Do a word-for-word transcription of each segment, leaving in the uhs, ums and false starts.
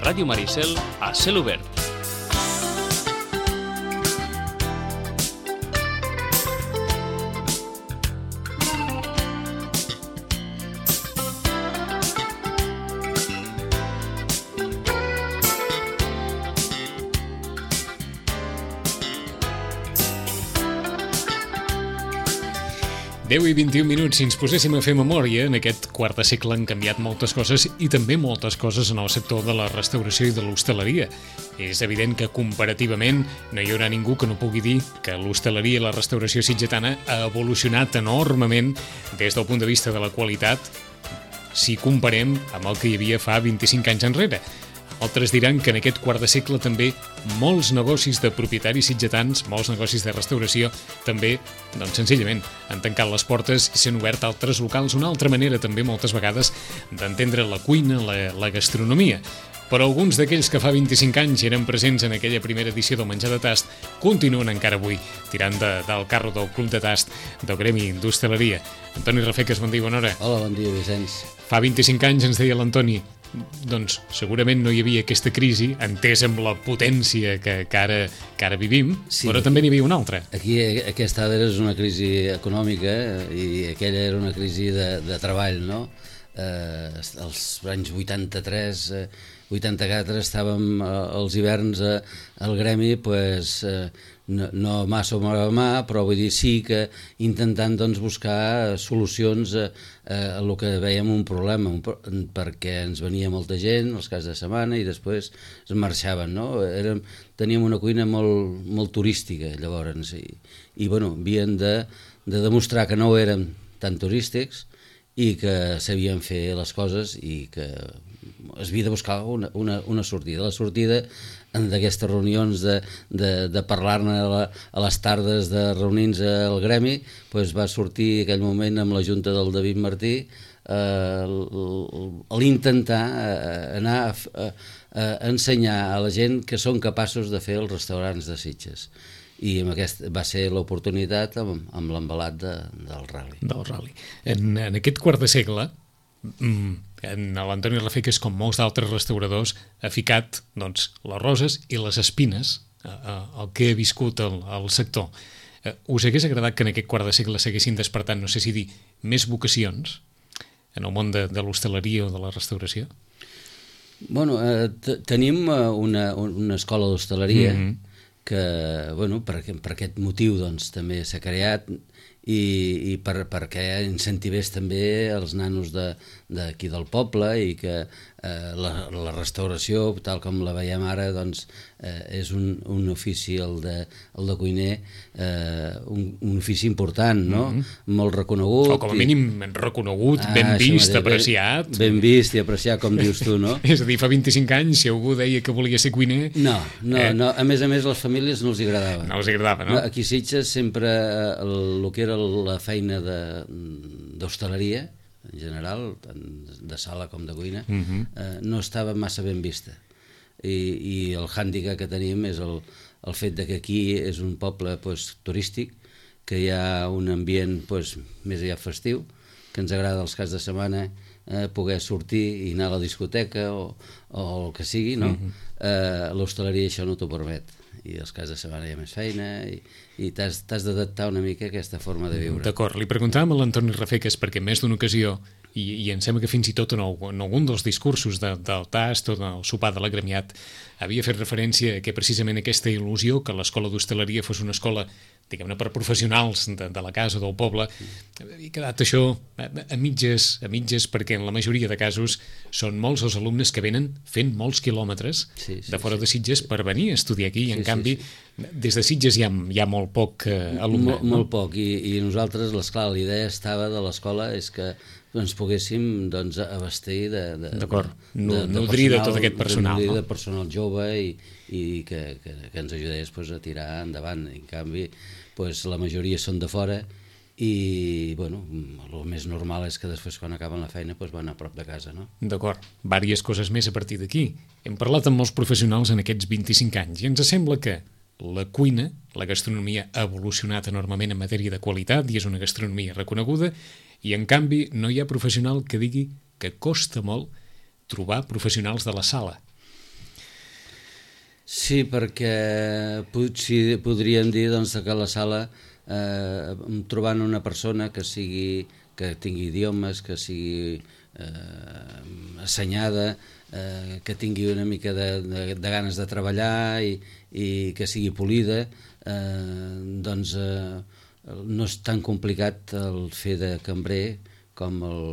Ràdio Maricel a cel obert. deu i vint-i-un minuts, si ens poséssim a fer memòria, en aquest quart de segle han canviat moltes coses i també moltes coses en el sector de la restauració i de l'hostaleria. És evident que comparativament no hi haurà ningú que no pugui dir que l'hostaleria i la restauració sitgetana ha evolucionat enormement des del punt de vista de la qualitat si comparem amb el que hi havia fa vint-i-cinc anys enrere. Altres diran que en aquest quart de segle també molts negocis de propietaris sitgetans, molts negocis de restauració, també, doncs senzillament, han tancat les portes i s'han obert altres locals, una altra manera també moltes vegades d'entendre la cuina, la, la gastronomia. Però alguns d'aquells que fa vint-i-cinc anys eren presents en aquella primera edició del Menjar de Tast continuen encara avui tirant de, del carro del Club de Tast del Gremi d'Hostaleria. Antoni Rafeques, bon dia, bona hora. Hola, bon dia, Vicenç. Fa vint-i-cinc anys ens deia l'Antoni, doncs segurament no hi havia aquesta crisi, entès amb la potència que, que, ara, que ara vivim, sí, però també n'hi havia una altra. Aquí aquesta ara és una crisi econòmica i aquella era una crisi de, de treball, no? Eh, els anys vuitanta-tres, eh, vuitanta-quatre estàvem eh, els hiverns eh, al gremi, pues, eh, no, no mà sobre mà, però vull dir sí que intentant doncs, buscar solucions a, a el que veiem un problema, un, perquè ens venia molta gent els caps de setmana i després es marxaven, no? Érem, teníem una cuina molt, molt turística llavors i, i bueno, havien de, de demostrar que no érem tan turístics i que sabien fer les coses i que es havia de buscar una, una, una sortida. La sortida d'aquestes reunions de, de, de parlar-ne a, la, a les tardes de reunir-nos al gremi, pues va sortir aquell moment amb la junta del David Martí eh, l'intentar eh, anar a, a, a ensenyar a la gent que són capaços de fer els restaurants de Sitges. I amb aquest va ser l'oportunitat amb, amb l'embalat de, del ral·li. Del ral·li. En, en aquest quart de segle, en l'Antoni Rafeques, com molts d'altres restauradors, ha ficat doncs, les roses i les espines al que ha viscut el, el sector. Us hagués agradat que en aquest quart de segle s'haguessin despertat, no sé si dir, més vocacions en el món de, de l'hostaleria o de la restauració? Bueno, eh, tenim una, una escola d'hostaleria mm-hmm. que, bueno, per, per aquest motiu doncs, també s'ha creat i, i per, perquè incentivés també els nanos d'aquí de, del poble i que eh, la, la restauració, tal com la veiem ara, doncs, eh, és un, un ofici, el de, el de cuiner, eh, un, un ofici important, no? Mm-hmm. Molt reconegut. O com a mínim reconegut, ah, ben vist, mateix, apreciat. Ben, ben vist i apreciat, com dius tu, no? És a dir, fa vint-i-cinc anys, si algú deia que volia ser cuiner... No, no, eh... no. A més a més, les famílies no els agradava. No els agradava, no? Aquí a Sitges sempre el, el que era la feina d'hostaleria, en general, tant de sala com de cuina, uh-huh. eh, no estava massa ben vista. I, i el hàndicap que tenim és el, el fet de que aquí és un poble pues, turístic, que hi ha un ambient pues, més aviat festiu, que ens agrada els caps de setmana eh, poder sortir i anar a la discoteca o, o el que sigui, no? Uh-huh. eh, l'hostaleria això no t'ho permet. I els caps de setmana hi ha més feina i, i t'has d'adaptar una mica a aquesta forma de viure. D'acord, li preguntàvem a l'Antoni Rafeques perquè en més d'una ocasió, i, i em sembla que fins i tot en, el, en algun dels discursos de, del Tast o del sopar de l'agremiat havia fet referència a que precisament aquesta il·lusió que l'escola d'hostaleria fos una escola, diguem-ne, per professionals de, de la casa o del poble, havia quedat això a, a mitges, a mitges perquè en la majoria de casos són molts els alumnes que venen fent molts quilòmetres sí, sí, de fora sí. de Sitges per venir a estudiar aquí i en sí, canvi sí, sí. des de Sitges hi ha, hi ha molt poc eh, alumne. Molt, no? molt poc i, i nosaltres, l'esclar, la idea estava de l'escola és que ens poguéssim doncs, abastir de, de, D'acord, de, de, nodrir de tot aquest personal. Nodrir no? de personal jove i, i que, que, que ens ajudés pues, a tirar endavant. En canvi, pues, la majoria són de fora i bueno, el més normal és que després quan acaben la feina pues, van a prop de casa. No? D'acord, vàries coses més a partir d'aquí. Hem parlat amb molts professionals en aquests vint-i-cinc anys i ens sembla que la cuina, la gastronomia ha evolucionat enormement en matèria de qualitat i és una gastronomia reconeguda i en canvi no hi ha professional que digui que costa molt trobar professionals de la sala. Sí, perquè potser podríem dir doncs, que la sala, eh, trobant una persona que sigui que tingui idiomes, que sigui eh, assenyada, eh, que tingui una mica de, de, de ganes de treballar i, i que sigui polida, eh, doncs eh, no és tan complicat el fer de cambrer com el,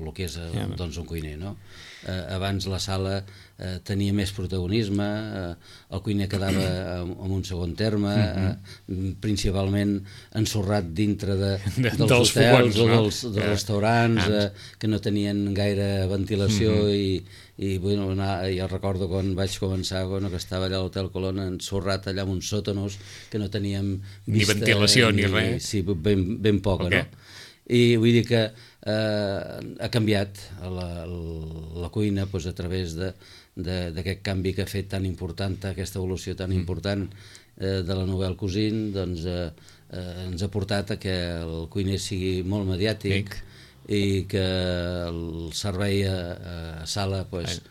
el que és el, doncs, un cuiner, no? Eh, abans la sala eh, tenia més protagonisme, eh, el cuiner quedava en, en un segon terme, eh, principalment ensorrat dintre de, dels, dels hotels fogons, o dels, no? dels restaurants, eh, que no tenien gaire ventilació mm -hmm. i, i bueno, anar, jo recordo quan vaig començar, bueno, que estava allà a l'Hotel Colón ensorrat allà en uns sòtanos que no teníem vista, ni ventilació ni, ni res. Sí, ben, ben poca, okay. no? I vull dir que eh, ha canviat la, la cuina doncs, a través d'aquest canvi que ha fet tan important, aquesta evolució tan mm. important eh, de la Nouvelle Cuisine, doncs eh, eh, ens ha portat a que el cuiner sigui molt mediàtic Ec. i que el servei a, a sala doncs,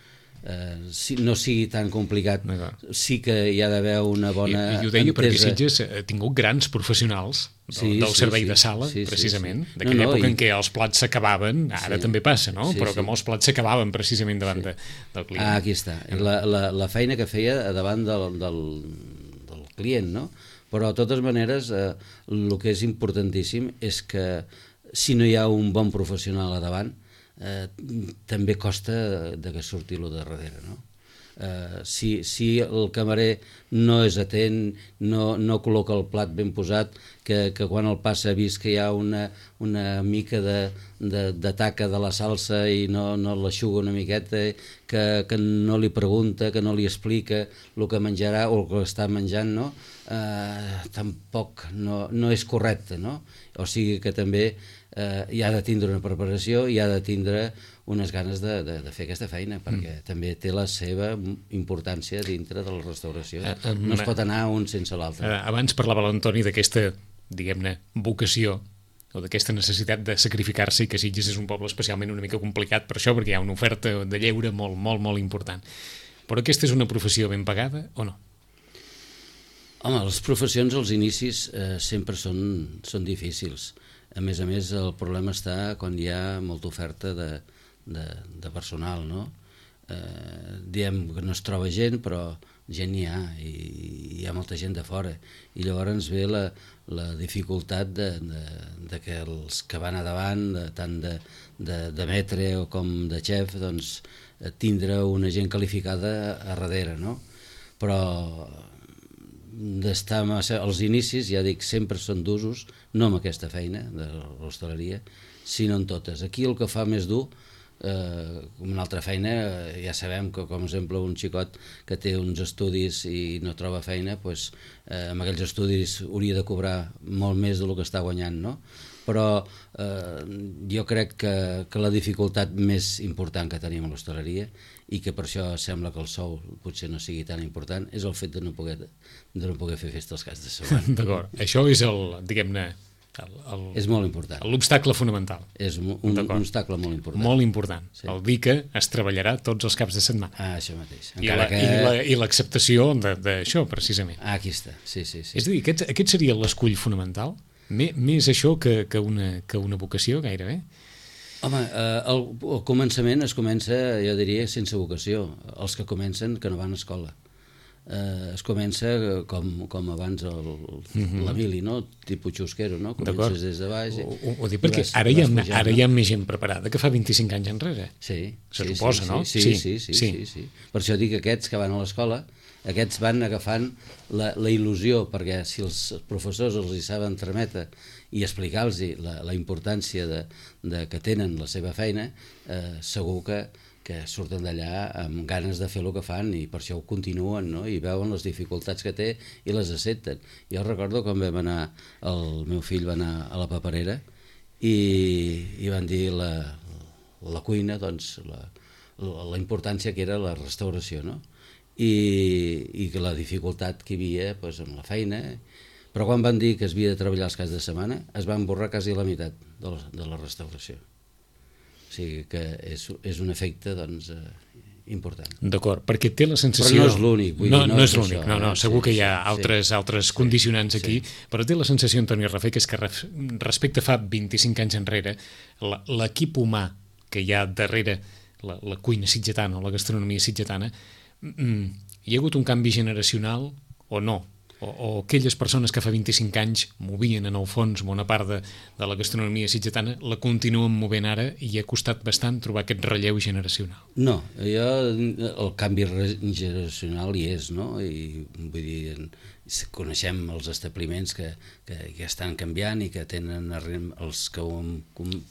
eh, si, no sigui tan complicat. Sí que hi ha d'haver una bona I, i ho deia entesa. Perquè Sitges ha tingut grans professionals del, sí, del servei sí, de sala, sí, precisament, sí, sí. d'aquella no, no, època i... en què els plats s'acabaven, ara sí. també passa, no? Sí, però sí. que molts plats s'acabaven precisament davant sí. de, del client. Ah, aquí està. La, la, la feina que feia davant del, del, del client, no? Però, de totes maneres, eh, el que és importantíssim és que si no hi ha un bon professional a davant, eh, també costa de que surti lo de darrere, no? Uh, si, si el camarer no és atent, no, no col·loca el plat ben posat, que, que quan el passa ha vist que hi ha una, una mica de, de, de taca de la salsa i no, no l'aixuga una miqueta, que, que no li pregunta, que no li explica el que menjarà o el que està menjant, no? Uh, tampoc no, no és correcte, no? O sigui que també uh, hi ha de tindre una preparació, hi ha de tindre unes ganes de, de, de fer aquesta feina, perquè mm. també té la seva importància dintre de la restauració. Uh, um, no es pot anar un sense l'altre. Uh, abans parlava l'Antoni d'aquesta, diguem-ne, vocació, o d'aquesta necessitat de sacrificar-se, i que Sitges és un poble especialment una mica complicat per això, perquè hi ha una oferta de lleure molt, molt, molt important. Però aquesta és una professió ben pagada o no? Home, les professions als inicis eh, sempre són, són difícils. A més a més, el problema està quan hi ha molta oferta de, de, de personal, no? Eh, diem que no es troba gent, però gent n'hi ha, i hi ha molta gent de fora. I llavors ens ve la, la dificultat de, de, de que els que van a davant, de, tant de, de, de metre o com de xef, doncs, tindre una gent qualificada a darrere, no? Però d'estar als inicis, ja dic, sempre són d'usos, no amb aquesta feina de l'hostaleria, sinó en totes. Aquí el que fa més dur, eh, com una altra feina, eh, ja sabem que, com exemple, un xicot que té uns estudis i no troba feina, doncs, eh, amb aquells estudis hauria de cobrar molt més del que està guanyant, no? Però eh, jo crec que, que la dificultat més important que tenim a l'hostaleria, i que per això sembla que el sou potser no sigui tan important, és el fet de no poder, de no poder fer festa als caps de setmana. D'acord, això és el, diguem-ne, el, el, és molt important. L'obstacle fonamental. És un, un, un obstacle molt important. Molt important. Sí. El dir que es treballarà tots els caps de setmana. Ah, això mateix. Encara I l'acceptació que... d'això, precisament. Ah, aquí està, sí, sí, sí. És a dir, aquest, aquest seria l'escull fonamental? Més això que, que, una, que una vocació, gairebé? Home, eh, el, el començament es comença, jo diria, sense vocació. Els que comencen que no van a escola. Eh, es comença com, com abans el, mm-hmm. la mili, no? Tipus xusquero, no? Comences des de baix. Ho, ho, ho dic perquè vas, ara, hi ha, pujant, ara no? hi ha més gent preparada que fa vint-i-cinc anys enrere. Sí. Se sí, suposa, sí, no? Sí sí sí, sí, sí, sí, sí. Per això dic que aquests que van a l'escola, aquests van agafant la, la il·lusió, perquè si els professors els hi saben trametre i explicar-los la, la importància de, de que tenen la seva feina, eh, segur que, que surten d'allà amb ganes de fer el que fan, i per això ho continuen, no? I veuen les dificultats que té i les accepten. Jo recordo quan vam anar, el meu fill va anar a la paperera i, i van dir la, la cuina, doncs la, la, la importància que era la restauració, no? I, i que la dificultat que hi havia doncs, amb la feina. Però quan van dir que es havia de treballar els caps de setmana, es van borrar quasi la meitat de la, de la restauració. O sigui que és, és un efecte doncs, eh, important. D'acord, perquè té la sensació... Però no és l'únic. No, no, no és l'únic, no, no, segur que hi ha altres, sí, altres sí, condicionants aquí, sí. Però té la sensació, Antoni Rafé, que és que respecte fa vint-i-cinc anys enrere, l'equip humà que hi ha darrere la, la cuina sitgetana o la gastronomia sitgetana, hi ha hagut un canvi generacional o no? O, o aquelles persones que fa vint-i-cinc anys movien en el fons bona part de, de la gastronomia sitgetana, la continuen movent ara i ha costat bastant trobar aquest relleu generacional? No, jo, el canvi generacional hi és, no? I vull dir, coneixem els establiments que, que, que estan canviant i que tenen, els que ho hem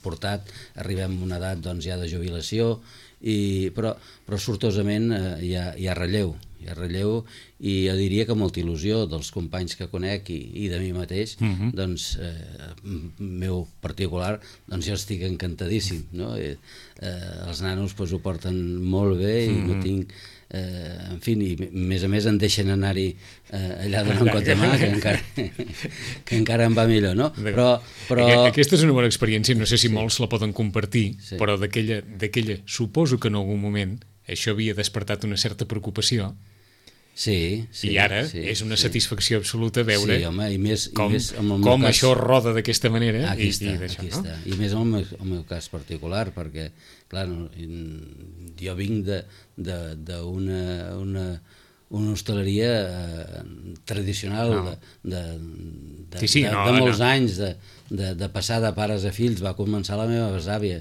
portat, arribem a una edat doncs, ja de jubilació, i, però, però sortosament eh, hi, ha, hi ha relleu, hi ha relleu i jo diria que molta il·lusió dels companys que conec i, i de mi mateix, uh-huh. doncs, eh, meu particular, doncs jo estic encantadíssim, no? Eh, eh, els nanos pues, ho porten molt bé i uh-huh. no tinc... Eh, en fi, i més a més em deixen anar-hi eh, allà donant un cop de mà que encara, que encara em va millor, no? Però, però... Aquesta és una bona experiència, no sé si sí. molts la poden compartir, sí. però d'aquella, suposo que en algun moment això havia despertat una certa preocupació. Sí, sí, i ara sí, és una sí. satisfacció absoluta veure sí, home, i més, com, i més amb el com cas, això roda d'aquesta manera. Aquí i, està, i, aquí no? està. I més en el meu, el meu cas particular, perquè clar, no, jo vinc d'una una, una hostaleria eh, tradicional no. de, de, de, sí, sí, de, no, de molts no. anys, de, de, de passar de pares a fills. Va començar la meva besàvia.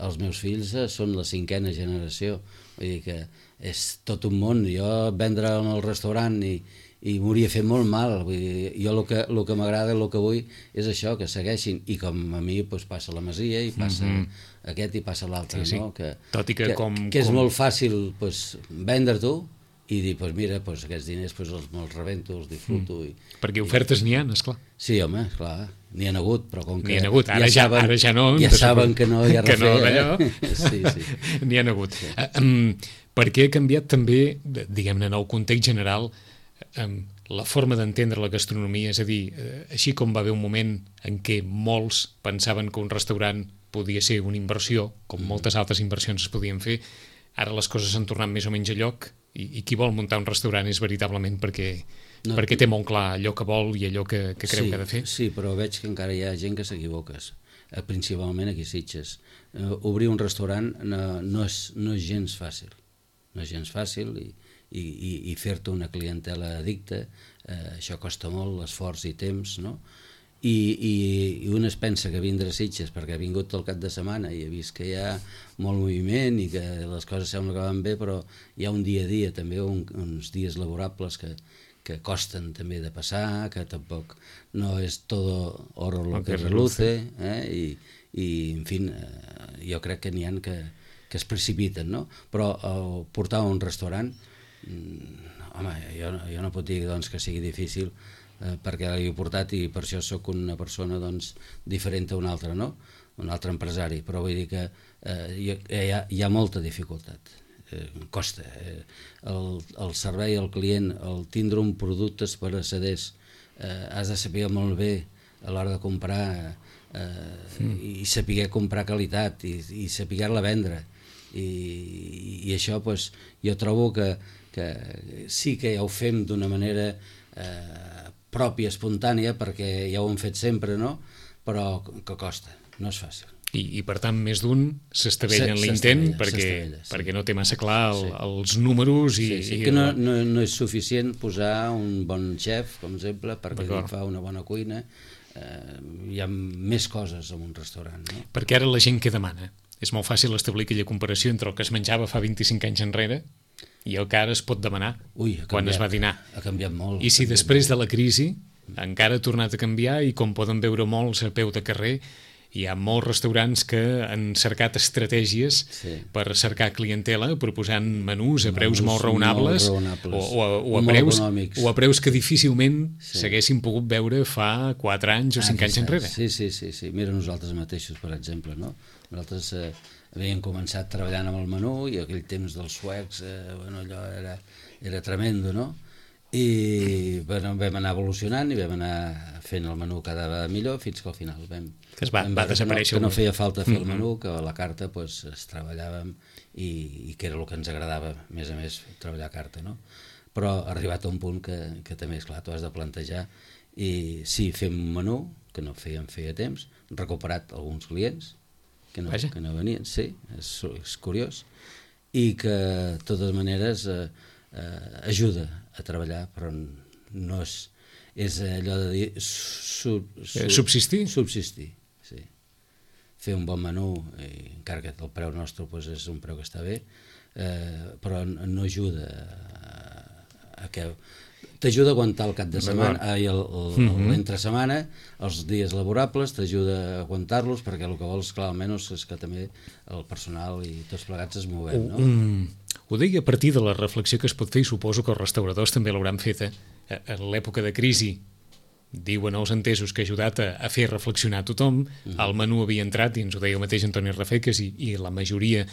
Els meus fills eh, són la cinquena generació. Vull dir que és tot un món. Jo vendre en el restaurant i, i m'hauria fet molt mal. Vull dir, jo el que, el que m'agrada, el que vull és això, que segueixin. I com a mi doncs, passa la Masia i passa mm-hmm. aquest i passa l'altre. Sí, sí. No? Que, tot i que, que, com, que és com... molt fàcil doncs, vendre tu i dir, doncs mira, doncs aquests diners doncs, els, els rebento, els disfruto. Mm. I, Perquè ofertes n'hi ha, esclar. Sí, home, esclar, n'hi ha hagut, però com que... N'hi ha hagut, ara ja, saben, ara ja no... Ja saben que no hi ha que refer, no, allò, eh? Sí, sí. N'hi ha hagut. Sí. Uh, um, perquè ha canviat també, diguem-ne, en el context general, um, la forma d'entendre la gastronomia, és a dir, uh, així com va haver un moment en què molts pensaven que un restaurant podia ser una inversió, com mm. moltes altres inversions es podien fer, ara les coses s'han tornat més o menys a lloc i, i qui vol muntar un restaurant és veritablement perquè, no, perquè té molt clar allò que vol i allò que, que creu sí, que ha de fer. Sí, però veig que encara hi ha gent que s'equivoques, principalment aquí a Sitges. Uh, obrir un restaurant no, no, és, no és gens fàcil, no és gens fàcil i, i, i, i fer-te una clientela addicta, uh, això costa molt, l'esforç i temps, no? I, i, i un es pensa que vindre a Sitges perquè ha vingut tot el cap de setmana i ha vist que hi ha molt moviment i que les coses sembla que van bé, però hi ha un dia a dia també, un, uns dies laborables que, que costen també de passar, que tampoc no és todo oro lo que reluce, eh? I, i en fi, eh, jo crec que n'hi ha que, que es precipiten, no? Però el portar a un restaurant, home, jo, jo no puc dir doncs, que sigui difícil, eh, perquè l'he portat i per això sóc una persona doncs, diferent a una altra, no? Un altre empresari, però vull dir que eh, hi, ha, hi ha molta dificultat, eh, costa. Eh, el, el servei al client, el tindre un producte per accedés, eh, has de saber molt bé a l'hora de comprar eh, mm. i saber comprar qualitat i, i saber-la vendre. I, i això pues, jo trobo que, que sí que ja ho fem d'una manera eh, pròpia, espontània, perquè ja ho hem fet sempre, no? Però que costa, no és fàcil. I, i per tant més d'un s'estavella en l'intent perquè, sí. perquè no té massa clar el, sí. els números i, sí, sí, i que no, no, no és suficient posar un bon xef, com exemple, perquè fa una bona cuina. Eh, hi ha més coses en un restaurant, no? Perquè ara la gent què demana? És molt fàcil establir aquella comparació entre el que es menjava fa vint-i-cinc anys enrere i el que ara es pot demanar. Ui, ha canviat, quan es va dinar. Ha canviat molt. I si després de la crisi encara ha tornat a canviar i com poden veure molts a peu de carrer, hi ha molts restaurants que han cercat estratègies sí. per cercar clientela proposant menús a preus menús molt raonables, molt raonables. O, o, a, o, a preus, o a preus que difícilment sí. s'haguessin pogut veure fa quatre anys o cinc anys enrere. Sí, sí, sí, sí. Mira nosaltres mateixos, per exemple, no? Nosaltres eh, havíem començat treballant amb el menú i aquell temps dels suecs, eh, bueno, allò era, era tremendo, no? I bueno, vam anar evolucionant i vam anar fent el menú cada vegada millor fins que al final vam... Que es va, vam va desaparèixer. Que no, que no feia falta fer el menú, que a la carta pues, es treballàvem i, i que era el que ens agradava, a més a més, treballar a carta, no? Però ha arribat a un punt que, que també, és clar, t'ho has de plantejar, i sí, fem un menú, que no fèiem feia temps, recuperat alguns clients, que no, que no venien, sí, és, és curiós, i que, de totes maneres, eh, eh, ajuda a treballar, però no és, és allò de dir... Su, su, subsistir? Subsistir, sí. Fer un bon menú, i, encara que el preu nostre pues, és un preu que està bé, eh, però no ajuda a, a que... T'ajuda a aguantar el cap de setmana, ai, el, el, mm-hmm. l'entre setmana, els dies laborables, t'ajuda a aguantar-los, perquè el que vols, clar, almenys, és que també el personal i tots plegats es movem, no? Um, ho deia a partir de la reflexió que es pot fer, i suposo que els restauradors també l'hauran feta, en l'època de crisi, diuen els entesos que ha ajudat a, a fer reflexionar tothom, mm-hmm. el menú havia entrat, i ens ho deia el mateix Antoni Rafeques, i, i la majoria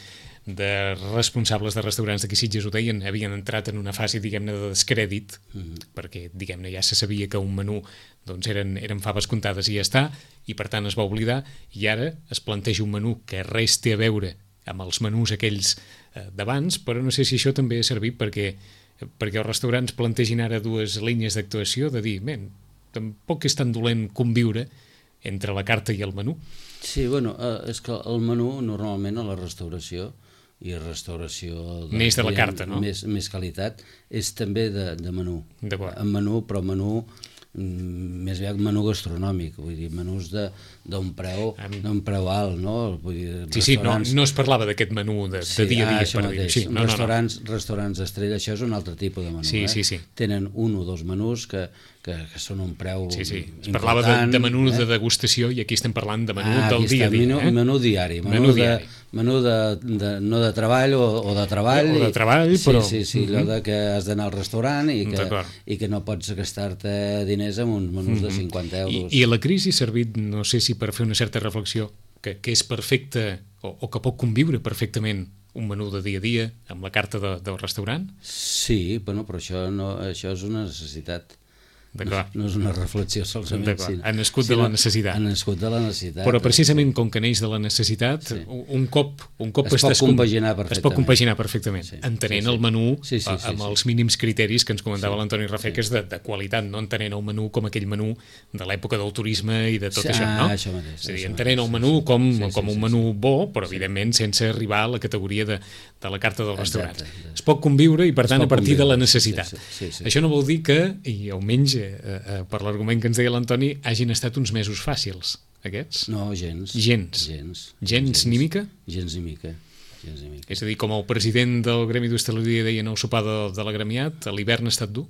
de responsables de restaurants d'aquí Sitges ho deien, havien entrat en una fase, diguem-ne, de descrèdit, mm-hmm. perquè, diguem-ne, ja se sabia que un menú doncs, eren, eren faves comptades i ja està, i per tant es va oblidar, i ara es planteja un menú que res té a veure amb els menús aquells eh, d'abans, però no sé si això també ha servit perquè, perquè els restaurants plantegin ara dues línies d'actuació, de dir, ben, tampoc és tan dolent conviure entre la carta i el menú. Sí, bueno, eh, és que el menú normalment a la restauració i restauració de, neix de la carta, no? Més, més qualitat, és també de, de menú. D'acord. En menú, però menú més aviat menú gastronòmic, vull dir, menús d'un preu, d'un preu alt, no? Vull dir, sí, sí, no, no es parlava d'aquest menú de, sí, de dia a dia, ah, per dir. Sí, no, restaurants, no, no. restaurants estrella, això és un altre tipus de menú. Sí, eh? sí, sí. Tenen un o dos menús que, que, que són un preu sí, sí. Es important. parlava de, de menú eh? de degustació i aquí estem parlant de menú ah, del dia a dia. Menú, eh? menú diari, menú, menú de, diari. menú de, de, no de treball o, o de treball. O de treball, i, però... Sí, sí, sí, allò uh-huh. de que has d'anar al restaurant i que, i que no pots gastar-te diners en uns menús uh-huh. de cinquanta euros. I, I la crisi ha servit, no sé si per fer una certa reflexió, que, que és perfecte o, o que pot conviure perfectament un menú de dia a dia amb la carta de, del restaurant? Sí, bueno, però això, no, això és una necessitat. No, no és una reflexió solament. Sí. Ha nascut sí, de la necessitat. Ha nascut de la necessitat. Però precisament com que neix de la necessitat, sí. un cop, un cop es, pot compaginar perfectament. es pot compaginar perfectament, sí. entenent sí, sí. el menú sí, sí, sí, amb sí, els mínims criteris que ens comentava sí. l'Antoni Rafeques sí. de, de qualitat, no entenent el menú com aquell menú de l'època del turisme i de tot sí, això, no? Ah, això mateix. És a dir, entenent el menú com, sí, sí, com un sí, menú bo, però sí. evidentment sense arribar a la categoria de, de la carta dels restaurants. Exacte. Es pot conviure i per tant a partir de la necessitat. Sí, sí, sí. Això no vol dir que, i almenys eh, eh, per l'argument que ens deia l'Antoni, hagin estat uns mesos fàcils, aquests? No, gens. Gens? Gens, gens, gens ni mica? Gens ni mica. Gens ni mica. És a dir, com el president del Gremi d'Hostaleria deia en el sopar de, de l'agremiat, l'hivern ha estat dur?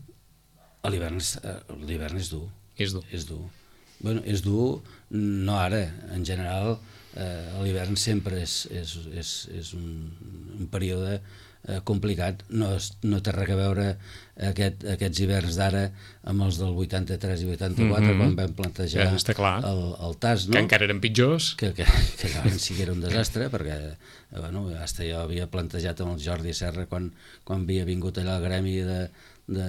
L'hivern és dur. És dur. És dur. Bueno, és dur, no ara, en general, eh, l'hivern sempre és, és, és, és un, un període eh, complicat, no, és, no té res a veure aquest, aquests hiverns d'ara amb els del vuitanta-tres i vuitanta-quatre, mm-hmm. quan vam plantejar ja, el, el T A S, no? Que encara eren pitjors. Que, que, que llavors sí que era un desastre, perquè bueno, hasta jo havia plantejat amb el Jordi Serra quan, quan havia vingut allà al gremi de, de,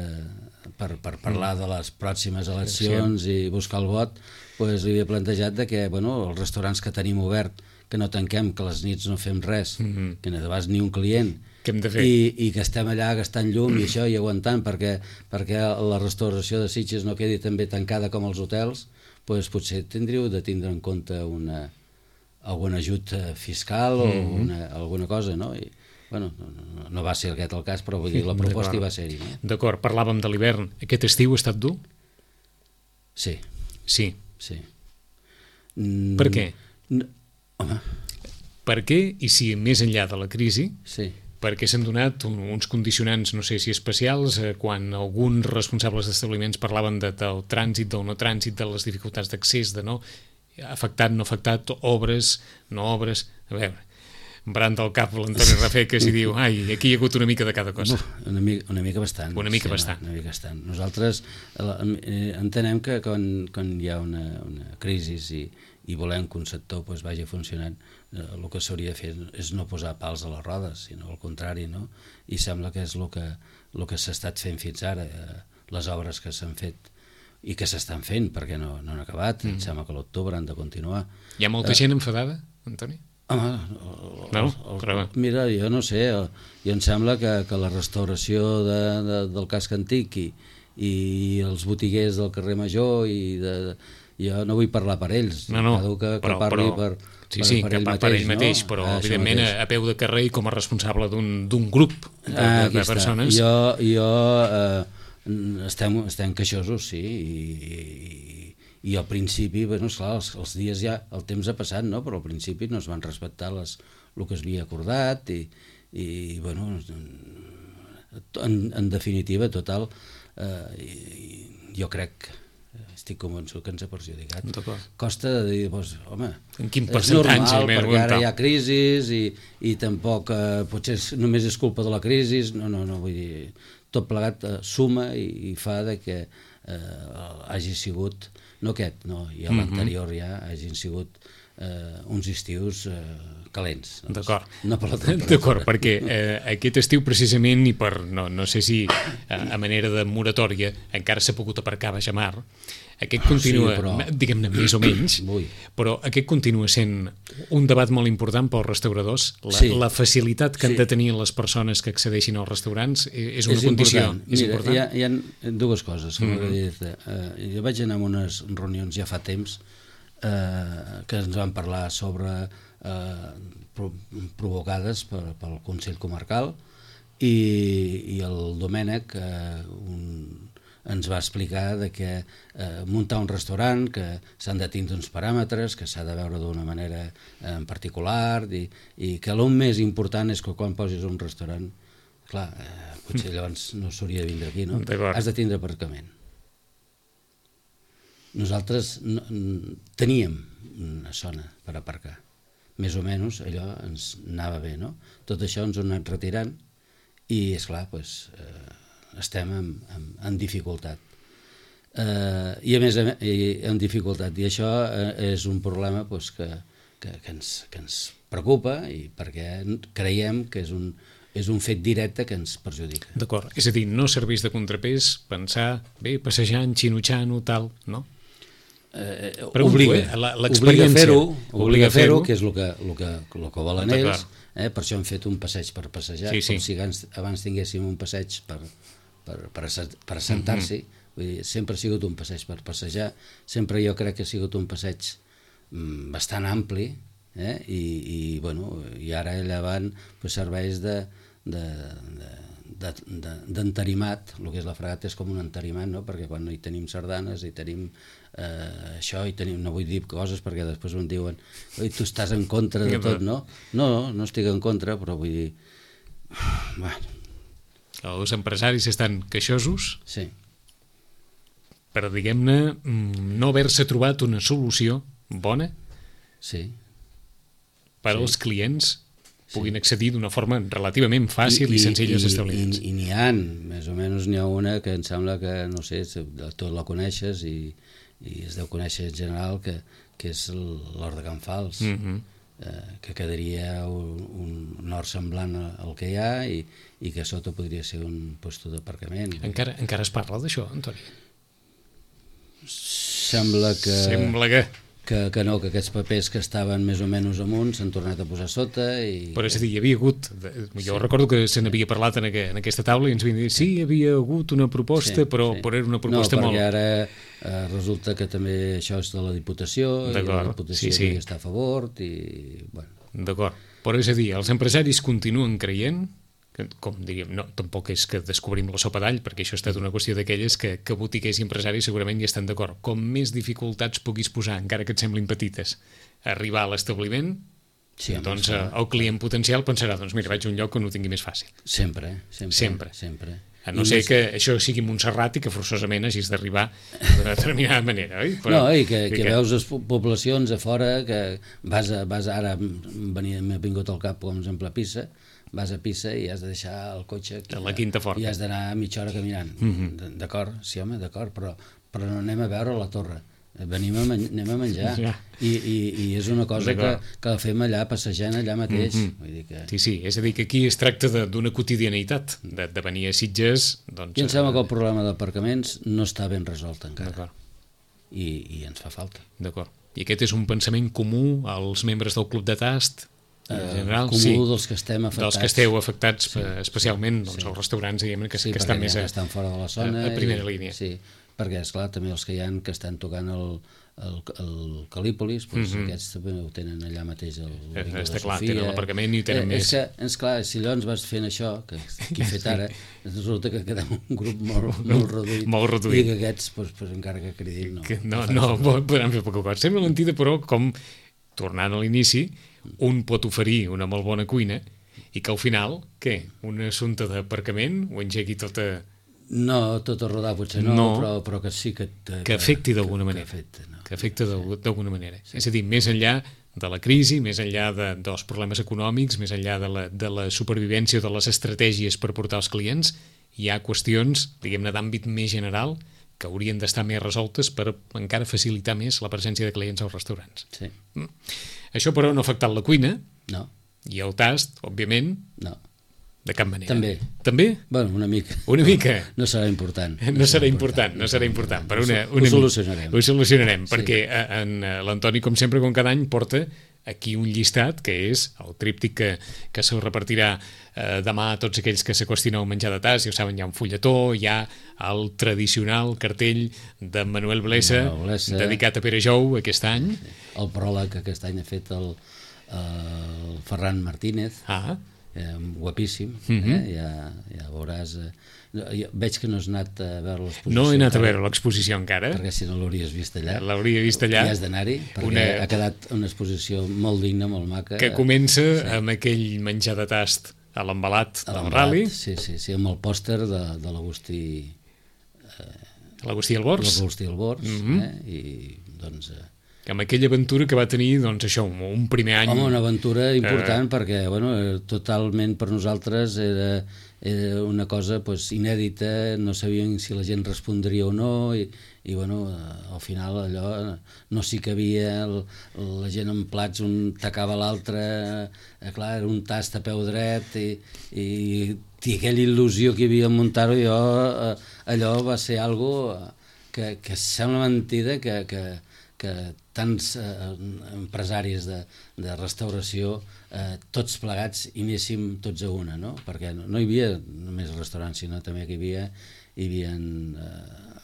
per, per parlar de les pròximes eleccions sí. i buscar el vot, pues, li havia plantejat de que bueno, els restaurants que tenim obert, que no tanquem, que les nits no fem res, mm-hmm. que no vas ni un client, que hem de fer? I, i que estem allà gastant llum i això i aguantant perquè, perquè la restauració de Sitges no quedi també tancada com els hotels, pues potser tindríeu de tindre en compte una, algun ajut fiscal o mm-hmm. una, alguna cosa, no? I, bueno, no, no va ser aquest el cas, però vull dir, la proposta hi va ser-hi. No? D'acord, parlàvem de l'hivern. Aquest estiu ha estat dur? Sí. Sí? Sí. Mm, per què? No, home. Per què, i si més enllà de la crisi, sí. perquè s'han donat un, uns condicionants, no sé si especials, eh, quan alguns responsables d'establiments parlaven de, del trànsit, del no trànsit, de les dificultats d'accés, de no afectat, no afectat, obres, no obres... A veure, embrant del cap l'Antoni Rafeques i diu, ai, aquí hi ha hagut una mica de cada cosa. Una mica, una mica bastant. Una mica sí, bastant. Una, una mica bastant. Nosaltres eh, entenem que quan, quan hi ha una, una crisi i, i volem que un sector pues, vagi funcionant, eh, el que s'hauria de fer és no posar pals a les rodes, sinó al contrari, no? I sembla que és el que, el que s'ha estat fent fins ara, eh, les obres que s'han fet i que s'estan fent, perquè no, no han acabat, mm. em sembla que a l'octubre han de continuar. Hi ha molta eh, gent enfadada, Antoni? Home, no? el, el, mira, jo no sé, jo em sembla que, que la restauració de, de, del casc antic i, i els botiguers del carrer Major, i de, jo no vull parlar per ells, no, no, cada un que, que però, parli però, per, sí, per, sí, per ell ell per, mateix, per ell mateix, no? però ah, evidentment a, a peu de carrer i com a responsable d'un grup de, ah, de, de persones. Jo, jo eh, estem, estem queixosos, sí, i, i, i al principi, bueno, esclar, els, els dies ja, el temps ha passat, no? Però al principi no es van respectar les, el que es havia acordat i, i bueno, en, en definitiva, total, eh, jo crec, estic convençut que ens ha perjudicat. Costa de dir, doncs, home, en quin és percentatge, normal, perquè ara hi ha crisis i, i tampoc eh, potser és, només és culpa de la crisi, no, no, no, vull dir, tot plegat eh, suma i, i fa de que eh, hagi sigut, no aquest, no, i a l'anterior mm -hmm. ja hagin sigut eh, uns estius eh, calents. Doncs. D'acord. No per la temperatura. D'acord, perquè eh, aquest estiu precisament, i per, no, no sé si a, a manera de moratòria, encara s'ha pogut aparcar a Bajamar, aquest continua, sí, però... diguem-ne, més o menys, Ui. però aquest continua sent un debat molt important pels restauradors. La, sí. la facilitat que sí. han de tenir les persones que accedeixin als restaurants és una és condició. Important. És Mira, important. Hi ha, hi ha dues coses que mm -hmm. m'agradaria dir. Uh, jo vaig anar a unes reunions ja fa temps uh, que ens van parlar sobre uh, pro provocades per, pel Consell Comarcal i, i el Domènec uh, un ens va explicar de que eh, muntar un restaurant, que s'han de tindre uns paràmetres, que s'ha de veure d'una manera eh, en particular, i, i que el més important és que quan posis un restaurant, clar, eh, potser llavors no s'hauria de vindre aquí, no? Has de tindre aparcament. Nosaltres no, teníem una zona per aparcar, més o menys allò ens anava bé, no? Tot això ens ho han anat retirant i, esclar, doncs... Eh, estem en, en, en dificultat eh, i a més en dificultat i això eh, és un problema pues, que, que, que, ens, que ens preocupa i perquè creiem que és un, és un fet directe que ens perjudica. D'acord, és a dir, no serveix de contrapès pensar, bé, passejant, xinutxant, tal, no? Eh, obliga, eh? obliga a fer-ho, obliga a fer-ho, que és el que, el que, el que volen ells, eh? Per això hem fet un passeig per passejar, sí, sí. Com si abans, abans tinguéssim un passeig per per, per, per assentar-s'hi, mm-hmm. Vull dir, sempre ha sigut un passeig per passejar, sempre jo crec que ha sigut un passeig mm, bastant ampli, eh? I, i, bueno, i ara allà van pues, serveis de, de, de, de, d'entarimat, el que és la fregata és com un entarimat, no? Perquè quan hi tenim sardanes, hi tenim eh, això, hi tenim, no vull dir coses perquè després em diuen, oi, tu estàs en contra de tot, no? No, no estic en contra, però vull dir, bueno, els empresaris estan queixosos sí. per, diguem-ne, no haver-se trobat una solució bona sí. per als sí. clients puguin sí. accedir d'una forma relativament fàcil i, i, i senzilla als establiments. I, i n'hi ha, més o menys n'hi ha una que em sembla que, no sé, tot la coneixes i, i es deu conèixer en general, que, que és l'Hort de Can Fals. Mm-hmm. Eh, que quedaria un, un hort semblant al que hi ha i, i que sota podria ser un lloc d'aparcament. Encara, encara es parla d'això, Antoni? Sembla que... Sembla que... Que, que no, que aquests papers que estaven més o menys amunt s'han tornat a posar sota i... Però és a dir, hi havia hagut... Jo sí. recordo que se n'havia parlat en, aqu en aquesta taula i ens havien dit sí, hi havia hagut una proposta, sí, però, sí. però era una proposta molt... No, perquè molt... ara eh, resulta que també això és de la Diputació i la Diputació sí, sí. està a favor i... Bueno. D'acord, però és a dir, els empresaris continuen creient que, com diríem, no, tampoc és que descobrim la sopa d'all, perquè això ha estat una qüestió d'aquelles que, que botiguers i empresaris segurament hi estan d'acord. Com més dificultats puguis posar, encara que et semblin petites, arribar a l'establiment, sí, doncs eh, el client potencial pensarà, doncs mira, vaig a un lloc on ho tingui més fàcil. Sempre, sempre. Sempre. sempre. A no I ser més... que això sigui Montserrat i que forçosament hagis d'arribar d'una determinada manera, oi? Però, no, i que, i que, que veus les poblacions a fora, que vas, a, vas a, ara, m'ha vingut al cap, com exemple, a Pisa, vas a Pisa i has de deixar el cotxe aquí, a la Quinta Forta i has d'anar mitja hora caminant. Mm-hmm. D'acord, sí home, d'acord, però, però no anem a veure la torre, venim a, anem a menjar ja. I, i, i és una cosa que, que la fem allà, passejant allà mateix. Mm-hmm. Vull dir que... Sí, sí, és a dir que aquí es tracta d'una quotidianitat, de, de venir a Sitges... Doncs, I em sembla que el problema d'aparcaments no està ben resolt encara. I, i ens fa falta. D'acord. I aquest és un pensament comú als membres del Club de Tast? en general, comú sí, dels que estem afectats. Dels que esteu afectats, sí, especialment doncs, sí. els restaurants, diguem que, sí, que estan més a, estan fora de la zona a, a primera i, línia. Sí, perquè, esclar, també els que hi ha que estan tocant el, el, el Calípolis, doncs mm -hmm. aquests també ho tenen allà mateix el Bingo de Està clar, Sofia. tenen l'aparcament i tenen eh, més... És que, és clar, si llavors vas fent això, que, que he fet ara, resulta que quedem un grup molt, molt reduït, molt reduït. I que aquests, doncs, pues, encara que cridin, no. Que no, no, no podran fer poca cosa. Sembla mentida, però, com, tornant a l'inici, un pot oferir una molt bona cuina i que al final, què? Un assumpte d'aparcament ho engegui tot a... No, tot a rodar potser no, no però, però que sí que... Que, que afecti d'alguna manera. Que afecta, no? Que afecta d'alguna manera. Sí. És a dir, més enllà de la crisi, més enllà de, dels problemes econòmics, més enllà de la, de la supervivència o de les estratègies per portar els clients, hi ha qüestions, diguem-ne, d'àmbit més general que haurien d'estar més resoltes per encara facilitar més la presència de clients als restaurants. Sí. Mm. Això, però, no ha afectat la cuina. No. I el tast, òbviament, no. De cap manera. També. També? Bueno, una mica. Una mica. No serà important. No, no serà important, no serà important. Per una, una ho solucionarem. Ho solucionarem, sí. Perquè en, en l'Antoni, com sempre, com cada any, porta aquí un llistat, que és el tríptic que, que se repartirà eh, demà a tots aquells que s'acostin al menjar de tas. Ja ho saben, hi ha un fulletó, hi ha el tradicional cartell de Manuel Blesa, Manuel Blesa dedicat a Pere Jou aquest any. Sí. El pròleg que aquest any ha fet el, el Ferran Martínez. Ah, Eh, guapíssim, uh-huh. eh? ja, ja veuràs eh, jo, veig que no has anat a veure l'exposició. No he anat a veure l'exposició encara, perquè si no l'hauries vist allà, l'hauria vist allà, i has d'anar-hi perquè una... ha quedat una exposició molt digna, molt maca, que comença sí. amb aquell menjar de tast a l'embalat del Rally, sí, sí, sí, amb el pòster de, de l'Agustí eh, l'Agustí Albors l'Agustí Albors uh-huh. eh? I doncs eh, amb aquella aventura que va tenir, doncs això, un primer any... Home, una aventura important, eh... perquè, bueno, totalment per nosaltres era, era una cosa pues, inèdita, no sabíem si la gent respondria o no, i, i bueno, al final allò no s'hi cabia, el, la gent en plats un tacava l'altre, eh, clar, era un tast a peu dret, i, i, i aquella il·lusió que hi havia en muntar-ho, jo, eh, allò va ser algo que, que sembla mentida que... que que tants eh, empresaris de, de restauració, eh, tots plegats, i anéssim tots a una, no? Perquè no, no hi havia només restaurants, sinó també que hi havia, hi havia eh,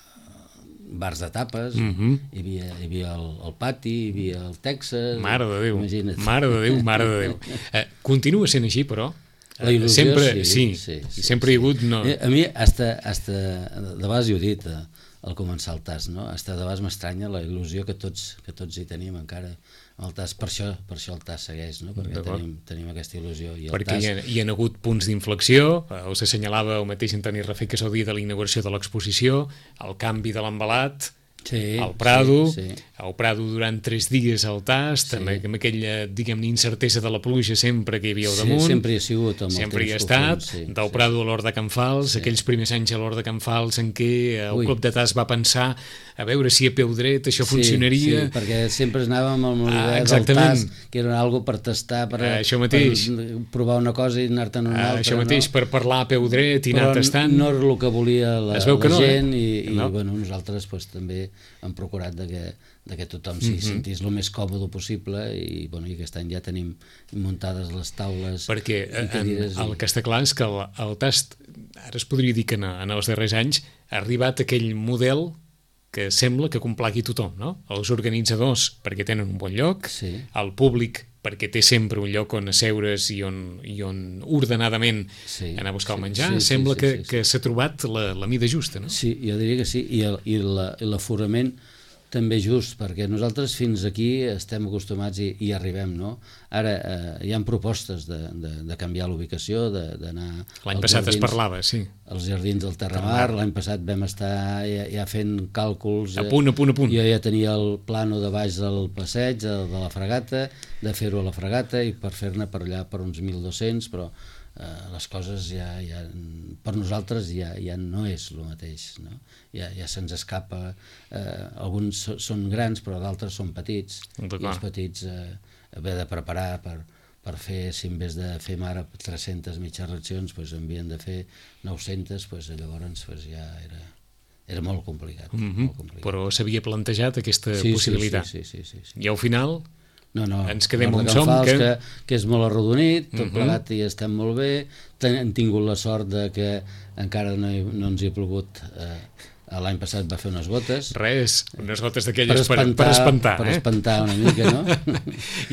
bars de tapes, uh-huh. hi havia, hi havia el, el pati, hi havia el Texas... Mare de Déu, imagina't. mare de Déu, mare de Déu. Eh, continua sent així, però... La il·lusió, sempre, sí, sí, sí, sí, sempre sí. hi ha hagut... No... A mi, hasta, hasta, de vegades ho he dit, eh, al començar el tast, no? Hasta de vegades m'estranya la il·lusió que tots, que tots hi tenim encara el tast, per això, per això el tast segueix, no? Perquè tenim, tenim aquesta il·lusió. I el perquè tast... hi, ha, hi ha hagut punts d'inflexió, us assenyalava el mateix Antoni Rafé, que és el dia de la inauguració de l'exposició, el canvi de l'embalat, sí, al Prado, sí, sí. al Prado durant tres dies al tast, sí. amb, amb aquella, diguem-ne, incertesa de la pluja sempre que hi havia al damunt. Sí, sempre hi ha sigut. Amb sempre hi ha temps estat, profund, sí, del sí. Prado a l'Hort de Can Fals, sí. aquells primers anys a l'Hort de Can Fals en què el Ui. Club de tast va pensar a veure si a peu dret això sí, funcionaria. Sí, perquè sempre anàvem amb l'idea ah, del tast, que era algo per tastar, per, ah, això mateix. per provar una cosa i anar-te'n una ah, altra. Això mateix, no? Per parlar a peu dret i Però anar tastant. no era el que volia la, la no, gent eh? i, i no. bueno, nosaltres pues, també hem procurat de que, de que tothom s'hi mm-hmm. sentís el més còmode possible i, bueno, i aquest any ja tenim muntades les taules perquè i cadires. En, el que està clar és que el, el tast, ara es podria dir que en, en els darrers anys ha arribat aquell model que sembla que complagui tothom, no? Els organitzadors perquè tenen un bon lloc, sí. el públic perquè té sempre un lloc on asseure's i on, i on ordenadament sí, anar a buscar sí, el menjar, sí, sembla sí, que, sí, sí, que s'ha trobat la, la mida justa, no? Sí, jo diria que sí, i, el, i, la, i l'aforament també just, perquè nosaltres fins aquí estem acostumats i, i arribem, no? Ara eh, hi ha propostes de, de, de canviar l'ubicació, d'anar... L'any passat jardins, es parlava, sí. Els jardins del Terramar, l'any passat vam estar ja, ja fent càlculs... A punt, a punt, a punt. Jo ja tenia el plano de baix del passeig, de, de la fregata, de fer-ho a la fregata i per fer-ne per allà per uns mil dos-cents, però eh, les coses ja, ja per nosaltres ja, ja no és el mateix, no? Ja, ja se'ns escapa, eh, alguns són grans però d'altres són petits i els petits eh, haver de preparar per, per fer, si en vez de fer ara tres-centes mitges racions doncs havien de fer nou-centes, doncs llavors doncs ja era, era molt complicat, mm-hmm. molt complicat. Però s'havia plantejat aquesta sí, possibilitat sí, sí, sí, sí, sí. I al final no, no, ens quedem on on som, que... que, que és molt arrodonit, tot uh -huh. plegat i estem molt bé, hem tingut la sort de que encara no, hi, no ens hi ha plogut, eh, l'any passat va fer unes gotes. Res, unes gotes d'aquelles per, per, per espantar. Per eh? espantar una mica, no?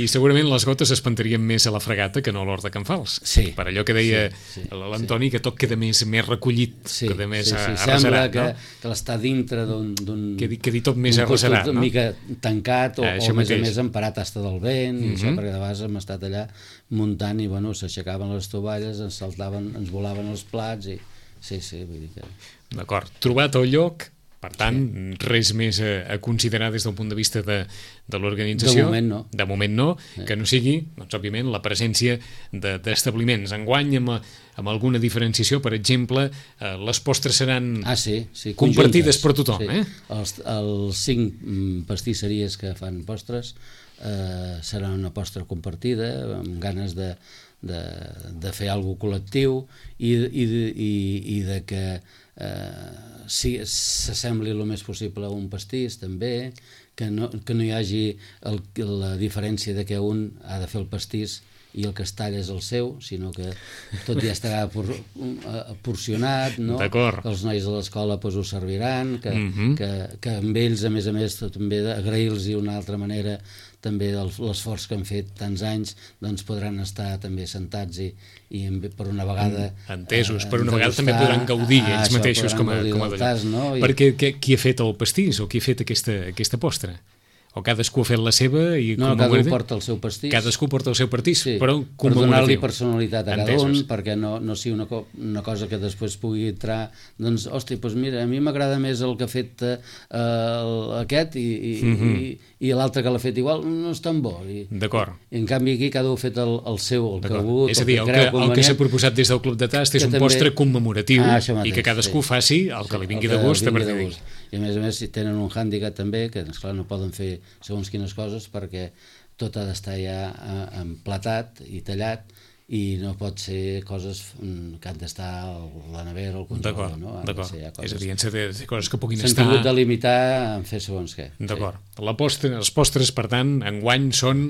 I segurament les gotes espantarien més a la Fregata que no a l'Hort de Can Fals. Sí. Per allò que deia sí, sí, l'Antoni, sí. que tot queda més, més recollit, sí, queda més sí, sí. arreserat. Sembla que, no? que l'està dintre d'un... Quedi, quedi tot més arreserat, no? Una mica tancat o, ah, o a més a més emparat hasta del vent, mm -hmm. i això, perquè de vegades hem estat allà muntant i bueno, s'aixecaven les tovalles, ens saltaven, ens volaven els plats i... Sí, sí, vull dir que... D'acord, trobat el lloc. Per tant, sí. res més a, a considerar des del punt de vista de, de l'organització. De moment no. De moment no, sí. Que no sigui, doncs, òbviament, la presència d'establiments. De, Enguany, amb, amb alguna diferenciació, per exemple, eh, les postres seran ah, sí, sí, compartides per tothom. Sí. Eh? Els, els cinc pastisseries que fan postres eh, serà una postre compartida, amb ganes de, de, de fer alguna cosa col·lectiu i, i, i, i de que eh, si s'assembli el més possible a un pastís també, que no, que no hi hagi el, la diferència de que un ha de fer el pastís i el que es talla és el seu, sinó que tot ja estarà por, porcionat, no? D'acord. Que els nois de l'escola pues, ho serviran, que, uh -huh. que, que amb ells, a més a més, també agrair-los d'una altra manera també l'esforç que han fet tants anys, doncs podran estar també sentats i, i per una vegada... Entesos, per una vegada també podran gaudir ah, ells això, mateixos com a, com a tas, no? I... Perquè que, qui ha fet el pastís o qui ha fet aquesta, aquesta postre? O cadascú ha fet la seva i no, cadascú porta el seu pastís, cadascú porta el seu pastís, sí, però per donar-li personalitat a cada un, perquè no, no sigui una, co una cosa que després pugui entrar, doncs, hosti, doncs mira, a mi m'agrada més el que ha fet eh, el, aquest i, i, mm -hmm. i, i l'altre que l'ha fet igual no és tan bo. D'acord. En canvi aquí cada un ha fet el, el seu, el que ha volgut, és a dir, el que, el que s'ha proposat des del Club de Tast és un també... postre commemoratiu ah, mateix, i que cadascú sí. faci el que sí, li vingui que de gust a partir d'aquí. d'aquí. I a més a més si tenen un hàndicap també, que esclar no poden fer segons quines coses perquè tot ha d'estar ja emplatat i tallat i no pot ser coses que han d'estar a la nevera o al congelador, no? D'acord, és a dir, han de ser coses que puguin estar... S'han tingut de limitar en fer segons què. D'acord. Sí. La postre, els postres, per tant, enguany són,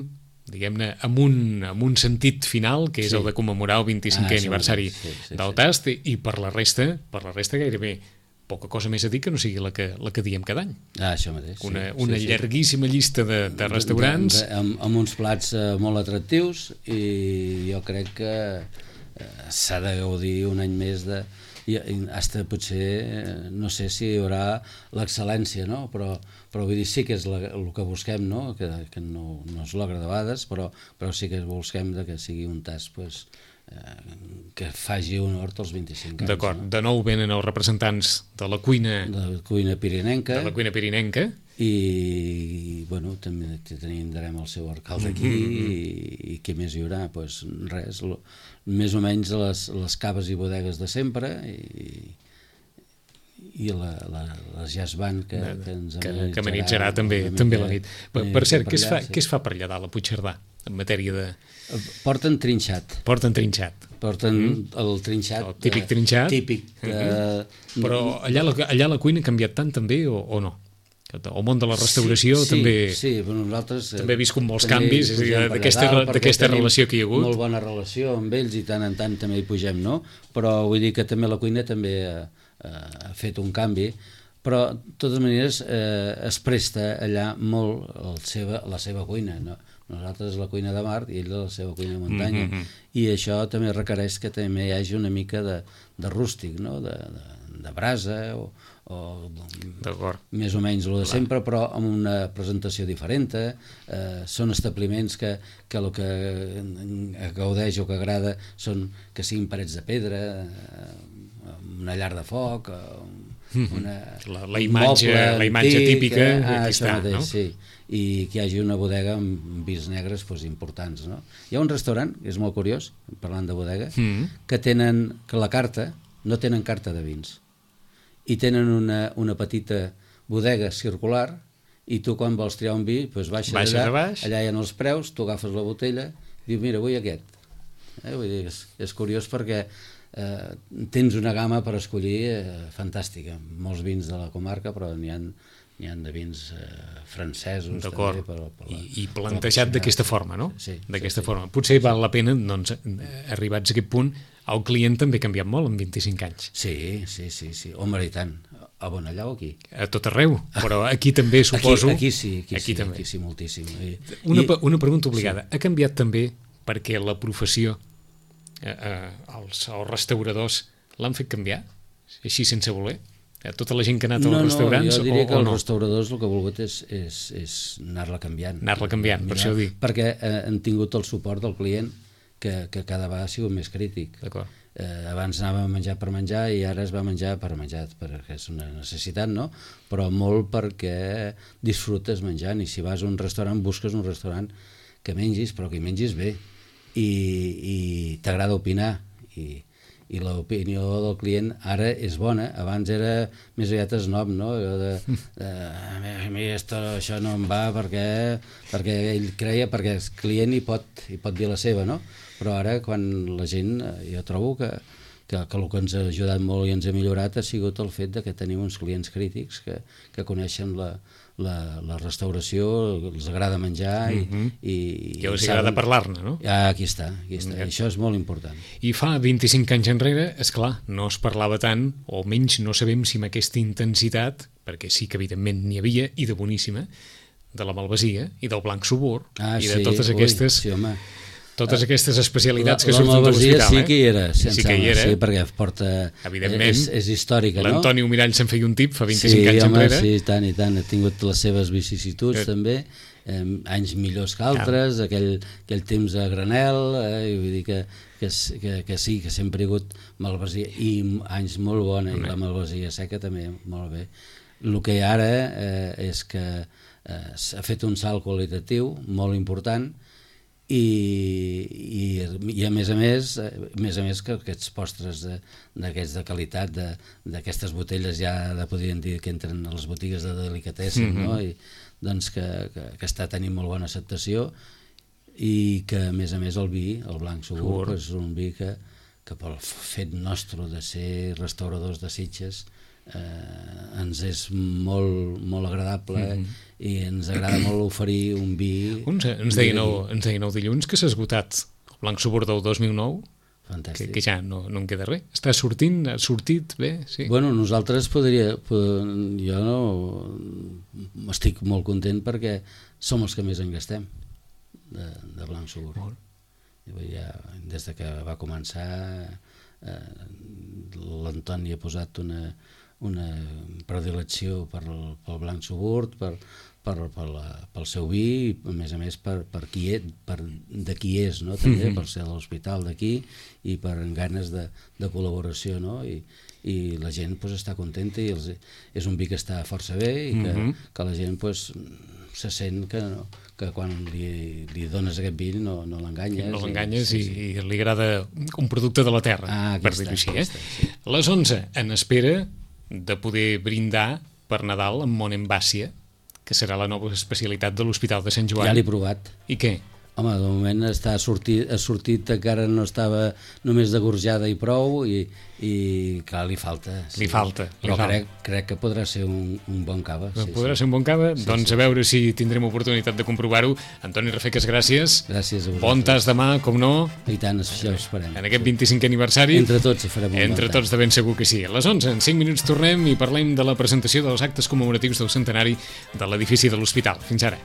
diguem-ne, amb un, amb un sentit final, que és sí. el de commemorar el vint-i-cinquè ah, aniversari sí, sí, del sí. Tast, i per la resta, per la resta gairebé poca cosa més a dir que no sigui la que, la que diem cada any. Ah, això mateix. Sí, una una sí, llarguíssima sí. llista de, de restaurants. De, de, amb, amb uns plats eh, molt atractius i jo crec que eh, s'ha de gaudir un any més de... I, i hasta potser, no sé si hi haurà l'excel·lència, no? Però, però vull dir, sí que és la, el que busquem, no? Que, que no, no es logra de vegades, però, però sí que busquem de que sigui un tas, pues, que faci honor als vint-i-cinc anys. D'acord, no? De nou venen els representants de la cuina de la cuina pirinenca, de la cuina pirinenca i bueno, també tindrem el seu alcalde aquí mm -hmm. i, i què més hi haurà? Pues res, lo, més o menys les, les caves i bodegues de sempre i, i la, la, la jazz band que, que ens que, que amenitzarà també, també la nit. Per, per cert, què es, fa, sí. què es fa per allà dalt a Puigcerdà en matèria de... Porten trinxat. Porten trinxat. Porten mm. el trinxat. El típic trinxat. Típic. De... Mm-hmm. Però allà la, allà la cuina ha canviat tant també o, o no? El món de la restauració sí, també... Sí, però nosaltres... També he viscut molts canvis d'aquesta relació que hi ha hagut. Molt bona relació amb ells i tant en tant també hi pugem, no? Però vull dir que també la cuina també ha, ha fet un canvi, però de totes maneres eh, es presta allà molt el seva, la seva cuina, no? Nosaltres la cuina de mar i ell la seva cuina de muntanya, mm -hmm. i això també requereix que també hi hagi una mica de, de rústic, no? de, de, de brasa o, o més o menys el de sempre, però amb una presentació diferent. Eh, són establiments que, que el que gaudeix o que agrada són que siguin parets de pedra, eh, una llar de foc, una, la, la imatge, la imatge antic, típica eh? ah, aquí està, mateix, no? Sí. I que hi hagi una bodega amb vins negres pues, importants, no? Hi ha un restaurant, que és molt curiós, parlant de bodega, mm. que tenen, que la carta, no tenen carta de vins, i tenen una, una petita bodega circular, i tu quan vols triar un vi, pues, baixes, baixes allà, baix. allà hi ha els preus, tu agafes la botella, i dius, mira, vull aquest. Eh? Vull dir, és, és curiós perquè eh, tens una gamma per escollir eh, fantàstica, molts vins de la comarca, però n'hi ha n'hi ha de vins eh, francesos. D'acord, també, per, per la, I, i plantejat d'aquesta forma, no? Sí, d'aquesta sí, sí. forma. Potser val la pena, doncs, arribats a aquest punt, el client també ha canviat molt en vint-i-cinc anys. Sí, sí, sí, sí. Home, i tant. A Bonallà o aquí? A tot arreu, però aquí també suposo... Aquí, aquí sí, aquí, aquí sí, també. aquí sí, moltíssim. I, una, i, una pregunta obligada. Sí. Ha canviat també perquè la professió, eh, eh, els, els restauradors, l'han fet canviar? Així sense voler? Tota la gent que ha anat no, als restaurants? No, jo diria o, que o els no? restauradors el que ha volgut és, és, és anar-la canviant. Anar-la canviant, per això ho dic. Perquè eh, han tingut el suport del client que, que cada vegada ha sigut més crític. D'acord. Eh, abans anava a menjar per menjar i ara es va menjar per menjar, perquè és una necessitat, no? Però molt perquè disfrutes menjant, i si vas a un restaurant busques un restaurant que mengis, però que hi mengis bé, i, i t'agrada opinar, i i l'opinió del client ara és bona. Abans era més aviat snob, no? Allò de, de a mi esto, això no em va perquè, perquè ell creia, perquè el client hi pot, hi pot dir la seva, no? Però ara quan la gent, jo trobo que, que, que el que ens ha ajudat molt i ens ha millorat ha sigut el fet de que tenim uns clients crítics que, que coneixen la, la, la restauració, els agrada menjar i, mm-hmm. i, i els agrada parlar-ne, no? Ah, aquí està, aquí està. I això és molt important. I fa vint-i-cinc anys enrere, és clar, no es parlava tant, o almenys no sabem si amb aquesta intensitat, perquè sí que evidentment n'hi havia, i de boníssima, de la malvasia i del blanc subur, ah, i de sí, totes ui, aquestes... Sí, home. Totes aquestes especialitats la, que surten de l'hospital. La malvasia sí que hi era, sense sí que hi era. Sí, perquè porta... Evidentment. És, és històrica, no? L'Antoni Mirall se'n feia un tip fa vint-i-cinc sí, anys home, enrere. Sí, tant i tant. Ha tingut les seves vicissituds, eh. també. Eh, anys millors que altres, ah. aquell, aquell temps a granel, eh, i vull dir que, que, que, que sí, que sempre hi ha hagut malvasia, i anys molt bona, i la malvasia seca també, molt bé. El que ara eh, és que eh, s'ha fet un salt qualitatiu molt important, I, i, i a més a més a més a més que aquests postres d'aquests de, de qualitat d'aquestes botelles ja de, podríem dir que entren a les botigues de delicatessen, mm-hmm. no? I, doncs que, que, que està tenint molt bona acceptació, i que a més a més el vi, el blanc subur, és un vi que, que pel fet nostre de ser restauradors de Sitges eh, ens és molt, molt agradable, mm-hmm. i ens agrada molt oferir un vi. Uns, ens, deien el, ens deien el dilluns que s'ha esgotat el blanc subur del dos mil nou. Fantàstic. Que, que ja no, no en queda res. Està sortint, ha sortit bé, sí. Bueno, nosaltres podria... Jo no... Estic molt content perquè som els que més en gastem de, de blanc subur. Molt. Ja, des de que va començar eh, l'Antoni ha posat una, una predilecció per el, pel blanc subur, per, per, per la, pel seu vi, i a més a més per, per, qui és, per de qui és, no? També, mm-hmm. per ser de l'hospital d'aquí, i per ganes de, de col·laboració, no? I, i la gent pues, està contenta, i els, és un vi que està força bé, i que, mm-hmm. que la gent pues, se sent que, no, que quan li, li dones aquest vi no, no l'enganyes. No l'enganyes i, i, i li agrada un producte de la terra, ah, per dir-ho així. Eh? Sí. Les onze, en espera de poder brindar per Nadal amb Monembàcia, que serà la nova especialitat de l'Hospital de Sant Joan. Ja l'he provat. I què? Home, de moment està sortit, ha sortit, encara no estava només de gorjada i prou, i, i clar, li falta. Sí. Li falta. Però li falta. Crec, crec que podrà ser un, un bon cava. Sí, podrà sí. ser un bon cava? Sí, doncs sí, a veure si tindrem oportunitat de comprovar-ho. Antoni Rafeques, gràcies. Gràcies a vosaltres. Bon tas demà, com no. I tant, això ho esperem. En aquest vint-i-cinquè aniversari. Entre tots farem un Entre bon tots de ben segur que sí. A les onze, en cinc minuts tornem i parlem de la presentació dels actes commemoratius del centenari de l'edifici de l'hospital. Fins ara.